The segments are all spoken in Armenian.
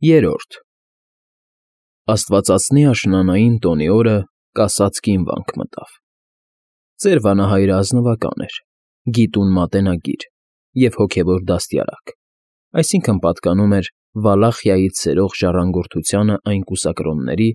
Երրորդ Աստվածածնի աշնանային տոնի օրը կասածկին վանք մտավ։ Ծեր վանահայրը ազնվական էր, գիտուն մատենագիր և հոգևոր դաստիարակ, այսինքն՝ պատկանում էր Վալախիայից սերող ժառանգորդությանը այն կուսակրոնների,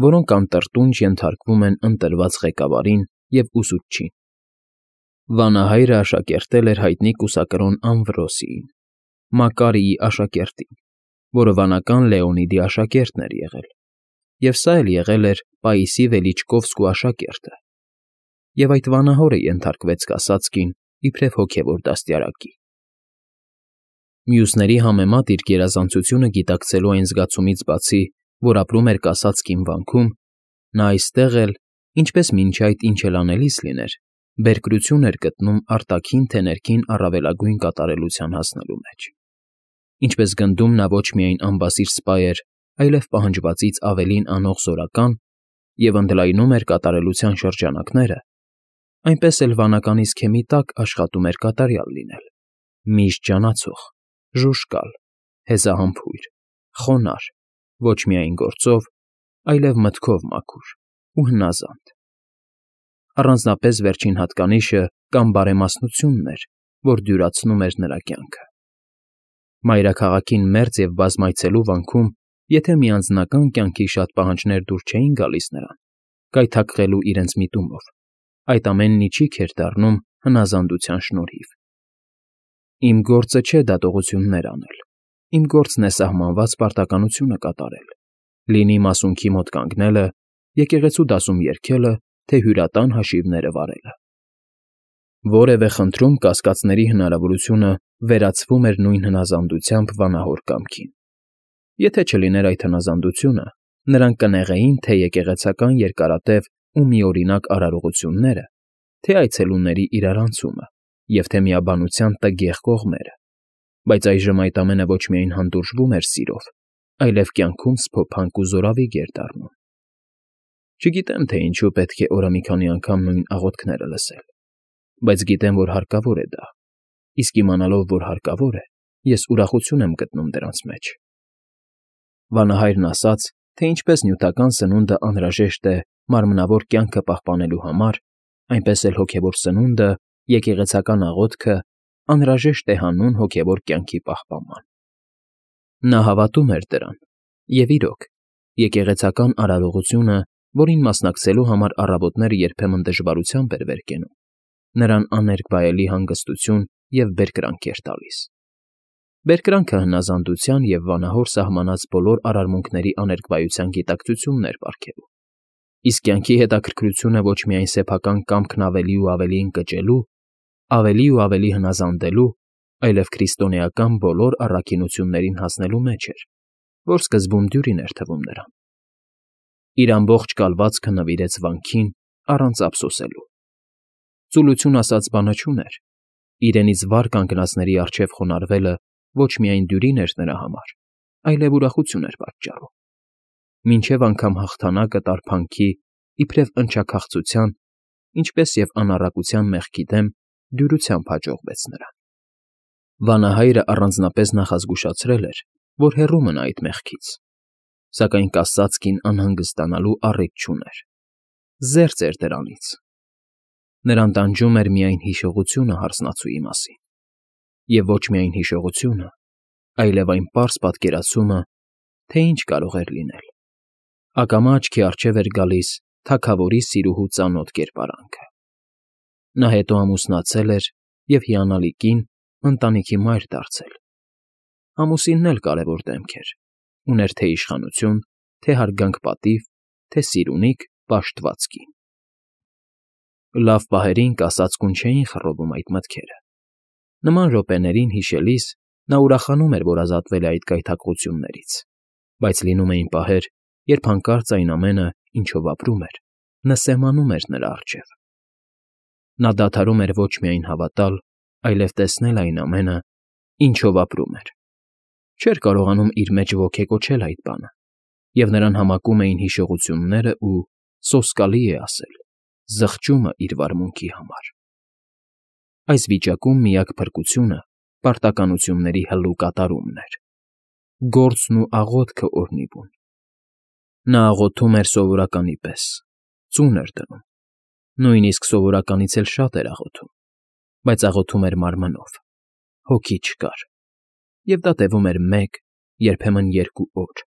որոնք անտրտունջ ենթարկվում են ընտրված ղեկավարին և ուսուցչին։ Վանահայրը աշակերտել էր հայտնի կուսակրոն Ամվրոսիին, Մակարիի աշակերտին, որը վանական Լեոնիդի աշակերտն էր եղել, և սա էլ եղել էր Պաիսի Վելիչկովսկու աշակերտը, և այդ վանահորը ենթարկվեց կասածկին իբրև հոգևոր դաստիարակի։ Մյուսների համեմատ իր գերազանցությունը գիտակցելու այն զգացումից բացի, որ ապրում էր կասածկին վանքում, նա այստեղ էլ, ինչպես մինչ այդ ինչ էլ անելիս լիներ, բերկրություն էր գտնում արտաքին թե ներքին առավելագույն կատարելության հասնելու մեջ։ Ինչպես գնդում նա ոչ միայն անբասիր սպա էր, այլև պահանջվածից ավելին անող զորական և ընդլայնում էր կատարելության շրջանակները, այնպես էլ վանականի սքեմի տակ աշխատում էր կատարյալ լինել, միշտ ջանացող, ժուժկալ, հեզահամբույր, խոնարհ, ոչ միայն գործով, այլև մտքով մաքուր ու հնազանդ։ Առանձնապես վերջին հատկանիշը կամ բարեմասնությունն էր, որ դյուրացնում էր նրա կյանքը։ Մայրաքաղաքին մերձ և բազմայցելու վանքում եթե մի անձնական կյանքի շատ պահանջներ դուր չէին գալիս նրան, գայթակղելու իրենց միտումով, այդ ամենն իչիք էր դառնում հնազանդության շնորհիվ։ Իմ գործը չէ դատողություններ անել, իմ գործն է սահմանված պարտականությունը կատարել, լինի մասունքի մոտ կանգնելը, եկեղեցու դասում երգելը, թե հյուրատան հաշիվները վարելը։ Որևէ խնդրում կասկածների հնարավորությունը վերացվում էր նույն հնազանդությամբ վանահոր կամքին։ Եթե չլիներ այդ հնազանդությունը, նրանք կնեղեին թե եկեղեցական երկարատև ու միօրինակ արարողությունները, թե այցելուների իրարանցումը և թե միաբանության տգեղ կողմերը, բայց այժմ այդ ամենը ոչ միայն հանդուրժվում էր սիրով, այլև կյանքում սփոփանք ու զորավիգ էր դառնում։ Չգիտեմ, թե ինչու պետք է օրը մի քանի անգամ նույն աղոթքները լսել, բայց գիտեմ, որ հարկավոր է դա, իսկ իմանալով, որ հարկավոր է, ես ուրախություն եմ գտնում դրանց մեջ։ Վանահայրն ասաց, թե ինչպես նյութական սնունդը անհրաժեշտ է մարմնավոր կյանքը պահպանելու համար, այնպես էլ հոգևոր սնունդը, եկեղեցական աղոթքը անհրաժեշտ է հանուն հոգևոր կյանքի պահպանման։ Նա հավատում էր դրան, և իրոք, եկեղեցական արարողությունը, որին մասնակցելու համար առավոտները երբեմն դժվարությամբ էր վեր կենում, նրան աներկբայելի հանգստություն և բերկրանք էր տալիս։ Բերկրանքը հնազանդության և վանահոր սահմանած բոլոր արարմունքների աներկբայության գիտակցությունն էր պարգևում, իսկ կյանքի հետաքրքրությունը ոչ միայն սեփական կամքն ավելի ու ավելի ընկճելու, ավելի ու ավելի հնազանդելու, այլև քրիստոնեական բոլոր առաքինություններին հասնելու մեջ էր, որ սկզբում դյուրին էր թվում նրան։ Իր ամբողջ կալվածքը նվիրեց վանքին առանց ափսոսելու։ Ծուլություն ասած բանը չուներ, իրենից վար կանգնածների առջև խոնարհվելը ոչ միայն դյուրին էր նրա համար, այլև ուրախություն էր պատճառում։ Մինչև անգամ հաղթանակը տարփանքի, իբրև ընչաքաղցության, ինչպես և անառակության մեղքի դեմ դյուրությամբ հաջողվեց նրան։ Վանահայրը առանձնապես նախազգուշացրել էր, որ հեռու մնա այդ մեղքից, սակայն կասածկին անհանգստանալու առիթ չուներ, զերծ էր դրանից։ Նրան տանջում էր միայն հիշողությունը հարսնացուի մասին, և ոչ միայն հիշողությունը, այլև այն պարզ պատկերացումը, թե ինչ կարող էր լինել։ Ակամա աչքի առջև էր գալիս թագավորի սիրուհու ծանոթ կերպարանքը։ Նա հետո ամուսնացել էր և հիանալի կին, ընտանիքի մայր դարձել։ Ամուսինն էլ կարևոր դեմք էր, ուներ թե իշխանություն, թե հարգանք պատիվ, թե սիրունիկ, պաշտված կին։ Լավ պահերին կասածկուն չէին խռովում այդ մտքերը։ Նման րոպեներին հիշելիս նա ուրախանում էր, որ ազատվել է այդ գայթակղություններից, բայց լինում էին պահեր, երբ հանկարծ այն ամենը, ինչով ապրում էր, նսեմանում էր նրա առջև։ Նա դադարում էր ոչ միայն հավատալ, այլև տեսնել այն ամենը, ինչով ապրում էր։ Չէր կարողանում իր մեջ ոգեկոչել այդ բանը, և նրան համակում էին հիշողությունները ու, սոսկալի է ասել, զղջումը իր վարմունքի համար։ Այս վիճակում միակ փրկությունը պարտականությունների հլու կատարումն էր։ գործն ու աղոթքը օրհնի բուն։ Նա աղոթում էր սովորականի պես, ծուն էր դնում, նույնիսկ սովորականից էլ շատ էր աղոթում, բայց աղոթում էր մարմնով, հոգի չկար, և դա տևում էր 1, երբեմն 2 օր,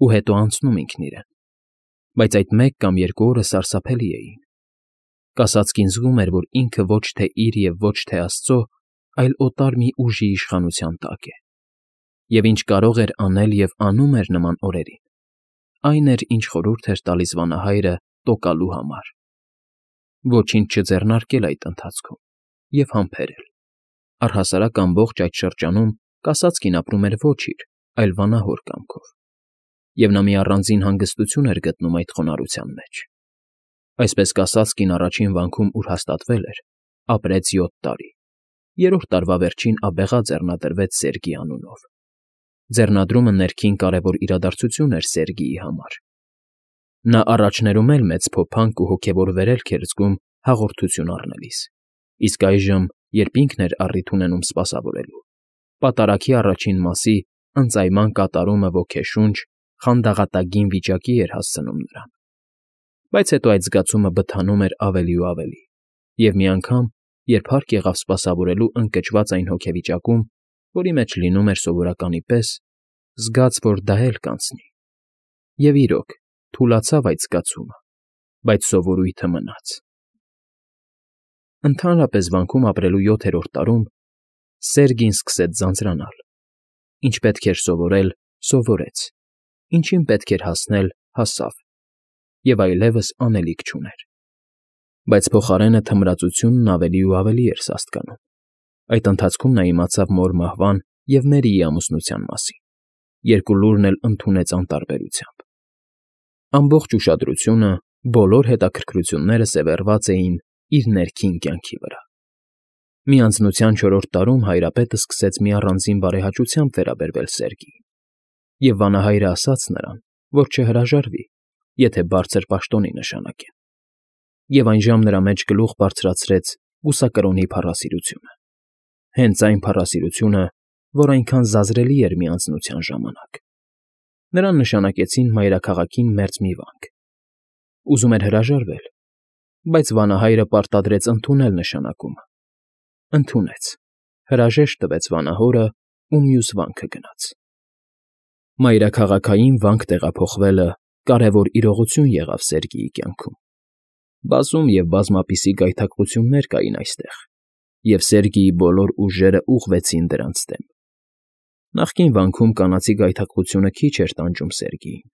ու հետո անցնում ինքն իրեն, բայց այդ 1 կամ 2 օրը սարսափելի էին։ Կասածկին զգում էր, որ ինքը ոչ թե իր և ոչ թե Աստծո, այլ օտար մի ուժի իշխանության տակ է, և ինչ կարող էր անել և անում էր նման օրերին, այն էր, ինչ խորհուրդ էր տալիս վանահայրը տոկալու համար. ոչինչ չձեռնարկել այդ ընթացքում և համբերել։ Առհասարակ ամբողջ այդ շրջանում կասածկին ապրում էր ոչ իր, այլ վանահոր կամքով, և նա մի առանձին հանգստություն էր գտնում այդ խոնարհության մեջ։ Այսպես կասածկին առաջին վանքում, ուր հաստատվել էր, ապրեց 7 տարի, 3-րդ տարվա վերջին աբեղա ձեռնադրվեց Սերգի անունով։ Ձեռնադրումը ներքին կարևոր իրադարձություն էր Սերգիի համար։ Նա առաջներում էլ մեծ փոփանք ու հոգևոր վերելք էր զգում հաղորդություն առնելիս, իսկ այժմ, երբ ինքն էր առիթ ունենում սպասավորելու, պատարագի առաջին մասի ընծայման կատարումը ոգեշունչ, խանդաղատագին վիճակի էր հասցնում նրան։ Բայց հետո այդ զգացումը բթանում էր ավելի ու ավելի, և մի անգամ, երբ հարկ եղավ սպասավորելու ընկճված այն հոգեվիճակում, որի մեջ լինում էր սովորականի պես, զգաց, որ դա էլ կանցնի։ Եվ իրոք, թուլացավ այդ զգացումը, բայց սովորույթը մնաց։ Ընդհանրապես վանքում ապրելու 7-րդ տարում Սերգին սկսեց ձանձրանալ։ Ինչ պետք էր սովորել, սովորեց, ինչին պետք էր հասնել, հասավ, և այլևս անելիք չուներ։ Բայց փոխարենը թմրածությունն ավելի ու ավելի էր սաստկանում։ Այդ ընթացքում նա իմացավ մոր մահվան և Մերիի ամուսնության մասին, երկու լուրն էլ ընդունեց անտարբերությամբ։ Ամբողջ ուշադրությունը, բոլոր հետաքրքրությունները սևեռված էին իր ներքին կյանքի վրա։ Մի անձնության 4-րդ տարում հայրապետը սկսեց մի առանձին բարեհաճությամբ վերաբերվել Սերգիին, և վանահայրը ասաց նրան, որ չհրաժարվի, եթե բարձր պաշտոնի նշանակեն, և այնժամ նրա մեջ գլուխ բարձրացրեց բուսակրոնի փառասիրությունը։ Հենց այն փառասիրությունը, որ այնքան զազրելի էր մի անձնության ժամանակ։ Նրան նշանակեցին մայրաքաղաքին մերձ մի վանք։ Ուզում էր հրաժարվել, բայց վանահայրը պարտադրեց ընդունել նշանակումը։ Ընդունեց, հրաժեշտ տվեց վանահորը ու մյուս վանքը գնաց։ Մայրաքաղաքային վանք տեղափոխվելը կարևոր իրողություն եղավ Սերգիի կյանքում։ Բազում և բազմապիսի գայթակղություններ կային այստեղ, և Սերգիի բոլոր ուժերը ուղղվեցին դրանց դեմ։ Նախկին վանքում կանացի գայթակղությունը քիչ էր տանջում Սերգիին,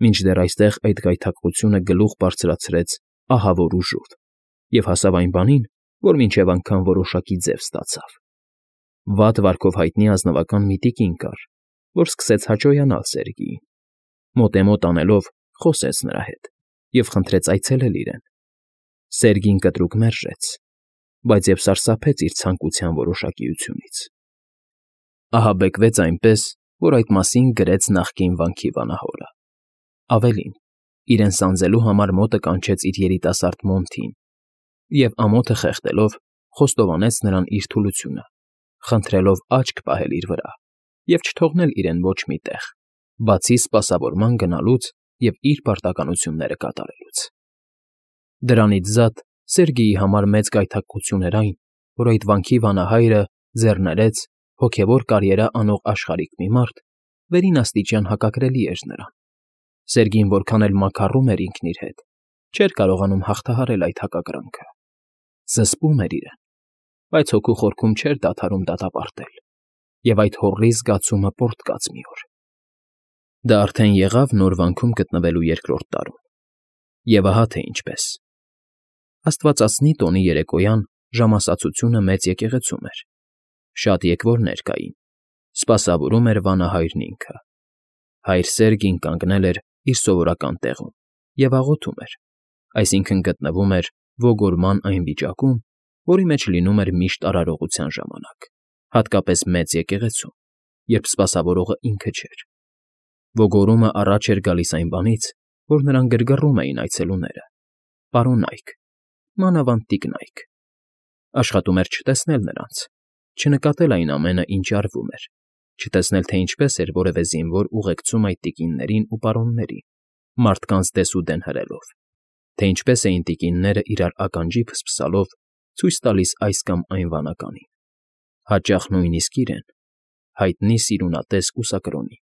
մինչդեռ այստեղ այդ գայթակղությունը գլուխ բարձրացրեց ահավոր ուժով և հասավ այն բանին, որ մինչև անգամ որոշակի ձև ստացավ։ Վատ վարքով հայտնի ազնվական մի տիկին կար, որ սկսեց հաճոյանալ Սերգիին, մոտեմոտ անելով խոսեց նրա հետ և խնդրեց այցելել իրեն։ Սերգին կտրուկ մերժեց, բայց և սարսափեց իր ցանկության որոշակիությունից։ Ահաբեկվեց այնպես, որ այդ մասին գրեց նախկին վանքի վանահորը։ Ավելին, իրեն սանձելու համար մոտը կանչեց իր երիտասարդ Մոնթին և, ամոթը խեղդելով, խոստովանեց նրան իր թուլությունը, խնդրելով աչք պահել իր վրա և չթողնել իրեն ոչ մի տեղ, բացի սպասավորման գնալուց և իր պարտականությունները կատարելուց։ Դրանից զատ Սերգիի համար մեծ գայթակղություն էր այն, որ այդ վանքի վանահայրը ձեռներեց հոգևոր կարիերա անող աշխարհիկ մի մարդ վերին աստիճան հակակրելի էր նրան։ Սերգին որքան էլ մաքառում էր ինքն իր հետ, չէր կարողանում հաղթահարել այդ հակակրանքը։ Զսպում էր իրեն, բայց հոգու խորքում չէր դադարում դատապարտել, և այդ հոռի զգացումը պոռթկաց մի օր։ Դա արդեն եղավ նոր վանքում գտնվելու 2-րդ տարում։ Եվ ահա թե ինչպես։ Աստվածածնի տոնի երեկոյան ժամասացությունը մեծ եկեղեցում էր։ Շատ եկվորներ կային։ Սպասավորում էր վանահայրն ինքը։ Հայր Սերգին կանգնել էր իր սովորական տեղում և աղոթում էր, այսինքն գտնվում էր ոգորման այն վիճակում, որի մեջ լինում էր միշտ արարողության ժամանակ, հատկապես մեծ եկեղեցում, երբ սպասավորողը ինքը չէր։ Ոգորումը առաջ էր գալիս այն բանից, որ նրան գրգռում էին այցելուները, պարոնայք, մանավանդ տիկնայք։ Աշխատում էր չտեսնել նրանց, չնկատել այն ամենը, ինչ արվում էր, չտեսնել, թե ինչպես էր որևէ զինվոր ուղեկցում այդ տիկիններին ու պարոններին, մարդկանց դեսուդեն հրելով, թե ինչպես էին տիկինները իրար ականջի ֆսֆսալով ցույց տալիս այս կամ այն վանականին, հաճախ նույնիսկ իրեն, հայտնի սիրունատես կուսակրոնին։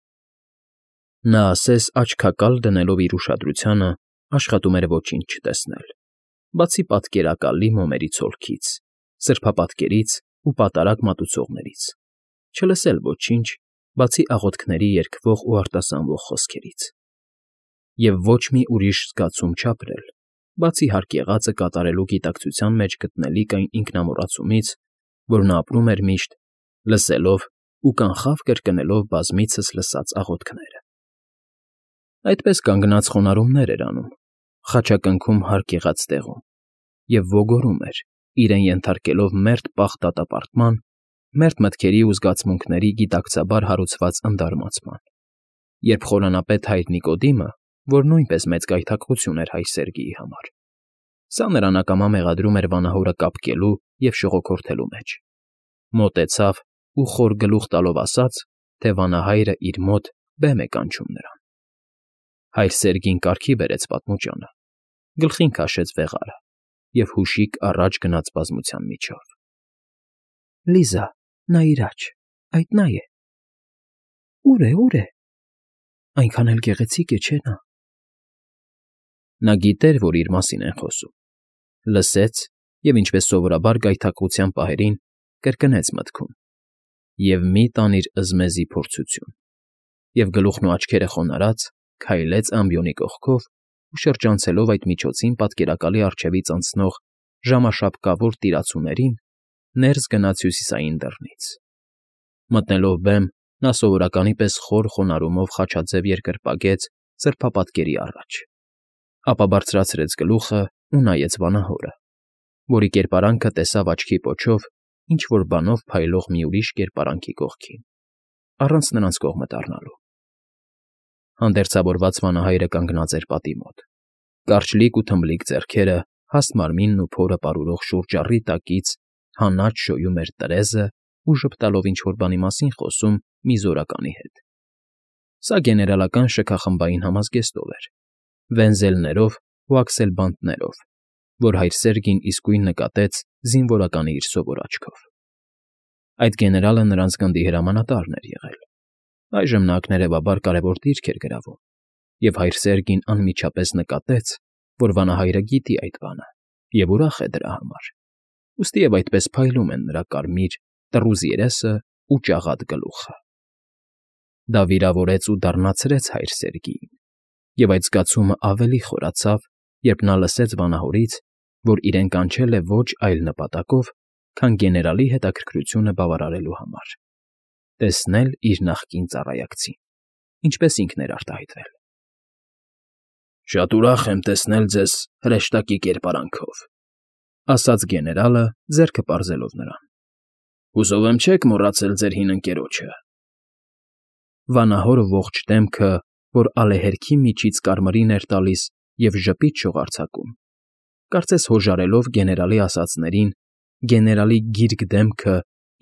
Նա ասես աչքակալ դնելով իր ուշադրությանը աշխատում էր ոչինչ չտեսնել, բացի պատկերակալի մոմերի ցոլքից, սրբապատկերից ու պատարակ մատուցողներից, չլսել ոչինչ, բացի աղոթքների երգվող ու արտասանվող խոսքերից, և ոչ մի ուրիշ զգացում չապրել, բացի հարկ եղածը կատարելու գիտակցության մեջ գտնելիք այն ինքնամոռացումից, որ նա ապրում էր միշտ, լսելով ու կանխավ կրկնելով բազմիցս լսած աղոթքները։ Այդպես կանգնած խոնարհումներ էր անում, խաչակնքում հարկ եղած տեղում, և ոգորում էր, իրեն ենթարկելով մերթ պաղ դատապարտման, մերթ մտքերի ու զգացմունքների գիտակցաբար հարուցված ընդարմացման, երբ խորանապետ հայր Նիկոդիմը, որ նույնպես մեծ գայթակղություն էր հայր Սերգիի համար, սա նրան ակամա մեղադրում էր վանահորը կապկելու և շողոքորթելու մեջ, մոտեցավ ու խոր գլուխ տալով ասաց, թե վանահայրը իր մոտ բեմ է կանչում նրան։ Հայր Սերգին կարգի բերեց պատմուճանը, գլխին քաշեց վեղարը և հուշիկ առաջ գնաց բազմության միջով։ Լիզա, նայիր աջ, այդ նա է։ Ուր է։ Այնքան էլ գեղեցիկ է, չէ՞ նա։ Նա գիտեր, որ իր մասին են խոսում, լսեց և, ինչպես սովորաբար գայթակղության պահերին, կրկնեց մտքում. և մի տանիր ըզմեզի փորձություն, և գլուխն ու աչքերը խոնարհած քայլեց ամբիոնի կողքով ու շրջանցելով այդ միջոցին պատկերակալի առջևից անցնող ժամաշապկավոր տիրացուներին, ներս գնաց հյուսիսային դռնից։ Մտնելով բեմ, նա սովորականի պես խոր խոնարհումով խաչաձև երկրպագեց սրբապատկերի առաջ, ապա բարձրացրեց գլուխը ու նայեց վանահորը, որի կերպարանքը տեսավ աչքի պոչով ինչ֊որ բանով փայլող մի ուրիշ կերպարանքի կողքին, առանց նրանց կողմը դառնալու։ Հանդերձավորված վանահայրը կանգնած էր պատի մոտ, կարճլիկ ու թմբլիկ ձեռքերը հաստ մարմինն ու փորը պարուրող շուրճառի տակից հանած շոյում էր տրեզը ու ժպտալով ինչ֊որ բանի մասին խոսում մի զորականի հետ։ Սա գեներալական շքախմբային համազգեստով էր, վենզելներով ու աքսելբանտներով, որ հայր Սերգին իսկույն նկատեց զինվորականի իր սովոր աչքով։ Այդ գեներալը նրանց գնդի հրամանատարն էր եղել։ Այժմ նա ակներևաբար կարևոր դիրք էր գրավում, և հայր Սերգին անմիջապես նկատեց, որ վանահայրը գիտի այդ բանը և ուրախ է դրա համար, ուստիև այդպես փայլում են նրա կարմիր, տռուզ երեսն ու ճաղատ գլուխը։ Դա վիրավորեց ու դառնացրեց հայր Սերգիին, և այդ զգացումը ավելի խորացավ, երբ նա լսեց վանահորից, որ իրեն կանչել է ոչ այլ նպատակով, քան գեներալի հետաքրքրությունը բավարարելու համար, տեսնել իր նախկին ծառայակցին, ինչպես ինքն էր արտահայտվել։ Շատ ուրախ եմ տեսնել ձեզ հրեշտակի կերպարանքով, ասաց գեներալը, ձեռքը պարզելով նրան։ Հուսով եմ չեք մոռացել ձեր հին ընկերոջը։ Վանահորը ողջ դեմքը, որ ալեհերքի միջից կարմրին էր տալիս և ժպիտ շողարձակում, կարծես հոժարելով գեներալի ասածներին, գեներալի գիրկ դեմքը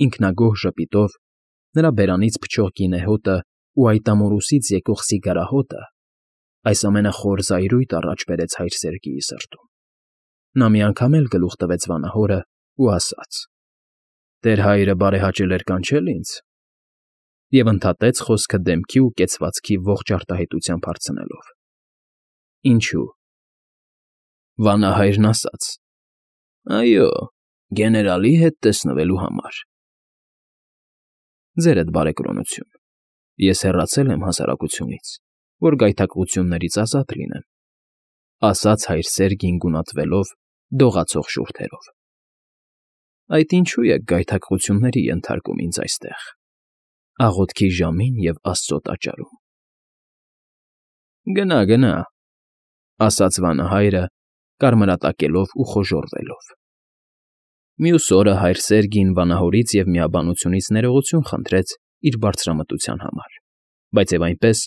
ինքնագոհ ժպիտով, նրա բերանից փչող գինեհոտը ու այտամորուսից եկող սիգարահոտը, այս ամենը խոր զայրույթ առաջ բերեց հայր Սերգիի սրտում։ Նա մի անգամ էլ գլուխ տվեց վանահորը ու ասաց. «Տեր հայրը բարեհաճել էր կանչել ինձ», և ընդհատեց խոսքը դեմքի ու կեցվածքի ողջ արտահայտությամբ հարցնելով. «Ինչու՞»։ Վանահայրն ասաց. «Այո, գեներալի հետ տեսնվելու համար»։ Ձերդ բարեկրոնություն, ես հեռացել եմ հասարակությունից, որ գայթակղություններից ազատ լինեմ, ասաց հայր Սերգին գունատվելով դողացող շուրթերով։ Այդ ինչու եք գայթակղությունների ենթարկում ինձ այստեղ, աղոթքի ժամին և Աստծո տաճարում։ Գնա, ասաց վանահայրը, կարմրատակելով ու խոժոռվելով։ Մյուս օրը հայր Սերգին վանահորից և միաբանությունից ներողություն խնդրեց իր բարձրամտության համար, բայց և այնպես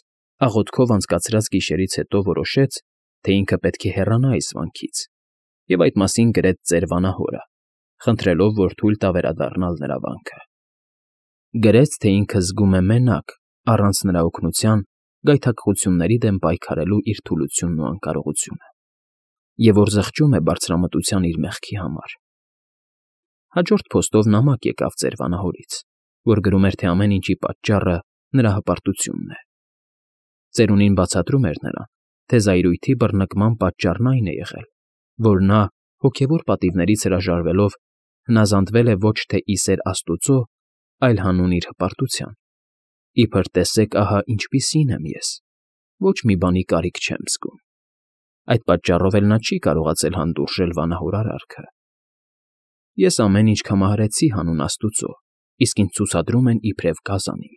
աղոթքով անցկացրած գիշերից հետո որոշեց, թե ինքը պետք է հեռանա այս վանքից և այդ մասին գրեց ծեր վանահորը, խնդրելով, որ թույլ տա վերադառնալ նրա վանքը։ Գրեց, թե ինքը զգում է մենակ, առանց նրա օգնության, գայթակղությունների դեմ պայքարելու իր թուլությունն ու անկարողությունը, և որ զղջում է բարձրամտության իր մեղքի համար։ Հաջորդ փոստով նամակ եկավ ծեր վանահորից, որ գրում էր, թե ամեն ինչի պատճառը նրա հպարտությունն է։ Ծերունին բացատրում էր նրան, թե զայրույթի բռնկման պատճառն այն է եղել, որ նա, հոգևոր պատիվներից հրաժարվելով, հնազանդվել է ոչ թե ի սեր Աստուծո, այլ հանուն իր հպարտության։ Իբր տեսեք, ահա ինչպիսին եմ ես, ոչ մի բանի կարիք չեմ զգում։ Այդ պատճառով էլ նա չի կարողացել հանդուրժել վանահոր արարքը։ Ես ամեն ինչ կամահարեցի հանուն Աստուծո, իսկ ինձ ցուցադրում են իբրև գազանի։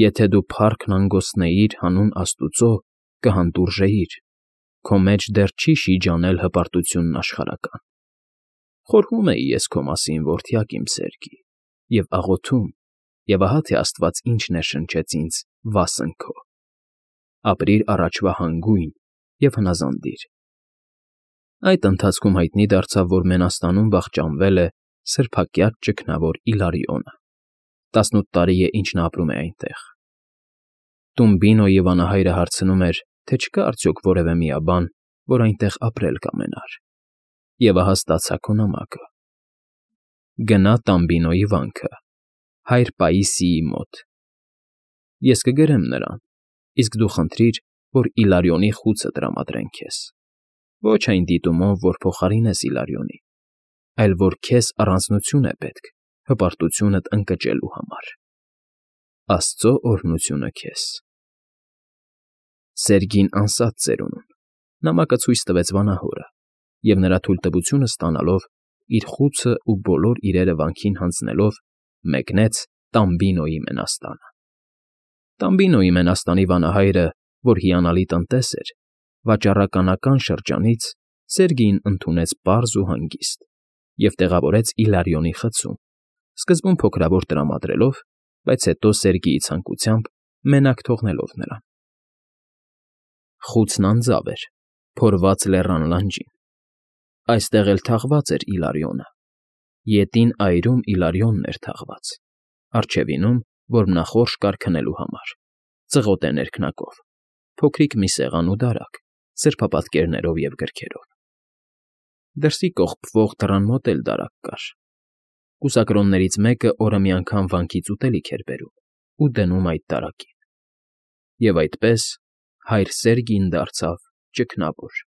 Եթե դու փառքն անգործնեիր հանուն Աստուծո, կհանդուրժեիր, քո մեջ դեռ չի շիջանել հպարտությունն աշխարհական։ Խորհում էի ես քո մասին, որդյակ իմ Սերգի, և աղոթում, և ահա թե Աստված ինչ ներշնչեց ինձ վասն քո։ Ապրիր առաջվա հանգույն և հնազանդիր։ Այդ ընթացքում հայտնի դարձավ, որ Մենաստանում վախճանվել է սրբակյաց ճգնավոր Իլարիոնը, 18 տարի է, ինչ նա ապրում է այնտեղ։ Տումբինոյի վանահայրը հարցնում էր, թե չկա արդյոք որևէ միաբան, որ այնտեղ ապրել կամենար, և ահա ստացա քո նամակը։ Գնա Տամբինոյի վանքը, հայր Պաիսիի մոտ։ Ես կգրեմ նրան, իսկ դու խնդրիր, որ Իլարիոնի խուցը տրամադրեն քեզ։ Ոչ այն դիտումով, որ փոխարինես Իլարիոնին, այլ որ քեզ առանձնություն է պետք հպարտությունդ ընկճելու համար։ Աստծո օրհնությունը քեզ։ Սերգին անսած ծերունուն նամակը ցույց տվեց վանահորը, և նրա թույլտվությունը ստանալով, իր խուցն ու բոլոր իրերը վանքին հանձնելով, մեկնեց Տամբինոյի Մենաստանը։ Տամբինոյի Մենաստանի վանահայրը, որ հիանալի տնտես էր, վաճառականական շրջանից Սերգիին ընդունեց պարզ ու հանգիստ և տեղավորեց Իլարիոնի խցում, սկզբում փոքրավոր տրամադրելով, բայց հետո Սերգիի ցանկությամբ մենակ թողնելով նրան։ Խուցն անձավ էր, փորված լեռան լանջին։ Այստեղ էլ թաղված էր Իլարիոնը։ Ետին այրում Իլարիոնն էր թաղված, առջևինում որմնախորշ կար քնելու համար, ծղոտ է ներքնակով, փոքրիկ մի սեղան ու դարակ, սրբապատկերներով և գրքերով։ Դրսի կողպվող դռան մոտ էլ դարակ կար։ Կուսակրոններից մեկը օրը մի անգամ վանքից ուտելիք էր բերում ու դնում այդ դարակին։ Եվ այդպես հայր Սերգին դարձավ ճգնավոր։